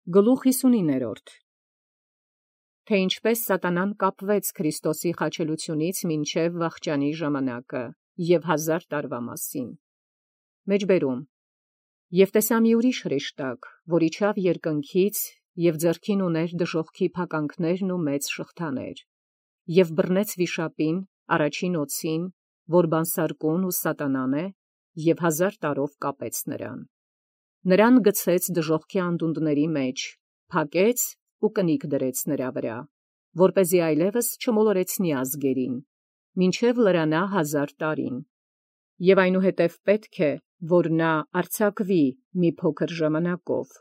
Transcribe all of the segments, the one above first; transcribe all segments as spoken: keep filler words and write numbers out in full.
Գլուխ հիսունիններորդ. Թե ինչպես սատանան կապվեց Քրիստոսի խաչելությունից մինչև վախճանի ժամանակը և հազար տարվա մասին։ Մեջբերում. Եվ տեսա մի ուրիշ հրեշտակ, որ իջավ երկնքից և ձեռքին ուներ դժոխքի փականքներն ու մեծ շղթաներ, և բռնեց վիշապին, առաջին օձին, որ բանսարկուն ու սատանան է, և հազար տարով կապեց նրան։ Նրան գցեց դժոխքի անդունդների մեջ, փակեց ու կնիկ դրեց նրա վրա, որպեսզի այլևս չմոլորեցնի ազգերին, մինչև լրանա հազար տարին։ Եվ այնուհետև պետք է, որ նա արձակվի մի փոքր ժամանակով։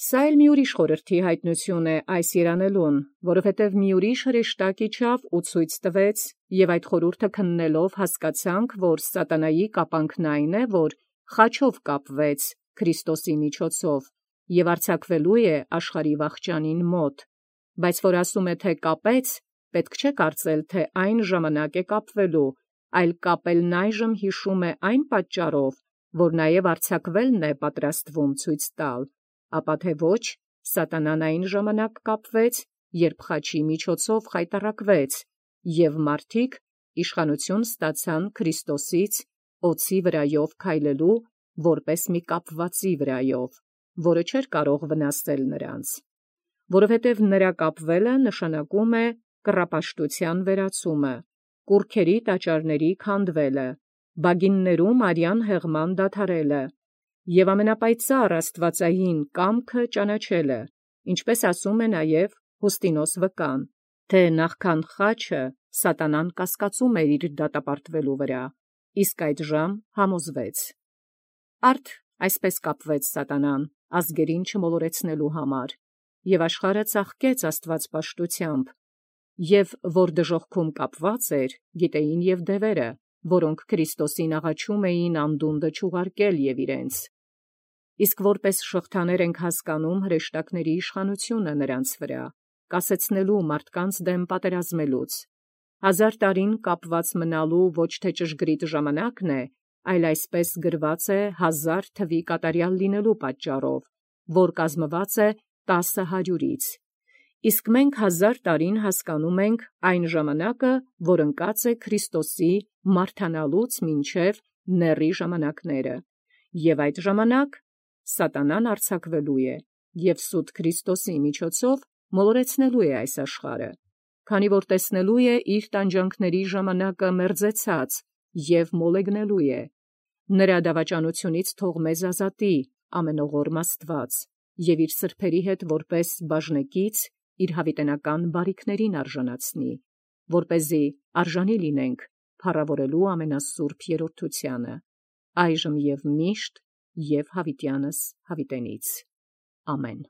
Սա էլ մի ուրիշ խորհրդի հայտնություն է այս երանելուն, որովհետև մի ուրիշ հրեշտակ իջավ ու ցույց տվեց, և այդ խորհուրդը քննելով հասկացանք, որ սատանայի կապանքն այն է, որ խաչով կապվեց Քրիստոսի միջոցով և արձակվելու է աշխարհի վախճանին մոտ, բայց որ ասում է, թե կապեց, պետք չէ կարծել, թե այն ժամանակ է կապվելու, այլ կապելն այժմ հիշում է այն պատճառով, որ նաև արձակվելն է պատրաստվում ցույց տալ, ապա թե ոչ, սատանան այն ժամանակ կապվեց, երբ խաչի միջոցով խայտառակվեց, և մարդիկ իշխանություն ստացան Քրիստոսից օձի վրայով քայլելու, որպես մի կապվածի վրայով, որը չէր կարող վնասել նրանց, որովհետև նրա կապվելը նշանակում է կռապաշտության վերացումը, կուռքերի տաճարների քանդվելը, բագիններում արյան հեղման դադարելը և ամենապայծառ աստվածային կամքը ճանաչելը, ինչպես ասում է նաև Յուստինոս վկան, թե նախքան խաչը սատանան կասկածում էր իր դատապարտվելու վրա, իսկ այդժամ համոզվեց։ Արդ այսպես կապվեց սատանան ազգերին չմոլորեցնելու համար, և աշխարհը ծաղկեց աստվածպաշտությամբ, և որ դժոխքում կապված էր, գիտեին և դևերը, որոնք Քրիստոսին աղաչում էին անդունդը չուղարկել և իրենց։ Իսկ որպես շղթաներ ենք հասկանում հրեշտակների իշխանությունը նրանց վրա, կասեցնելու մարդկանց դեմ պատերազմելուց։ Հազար տարին կապված մնալու ոչ թե ճշգրիտ ժամանակն է, այլ այսպես գրված է հազար թվի կատարյալ լինելու պատճառով, որ կազմված է տասը հարյուրից։ Իսկ մենք հազար տարին հասկանում ենք այն ժամանակը, որ ընկած է Քրիստոսի մարդանալուց մինչև նեռի ժամանակները, և այդ ժամանակ սատանան արձակվելու է և սուտ Քրիստոսի միջոցով մոլորեցնելու է այս աշխարհը, քանի որ տեսնելու է իր տանջանքների ժամանակը մերձեցած և մոլեգնելու է։ Նրա դավաճանությունից թող մեզ ազատի ամենօղորմ Աստված և իր սրբերի հետ որպես բաժնեկից իր յաւիտենական բարիքներին արժանացնի, որպեսզի արժանի լինենք փառաւորելու ամենասուրբ երրորդությանը, այժմ և միշտ և յաւիտյանս յաւիտենից։ Ամեն։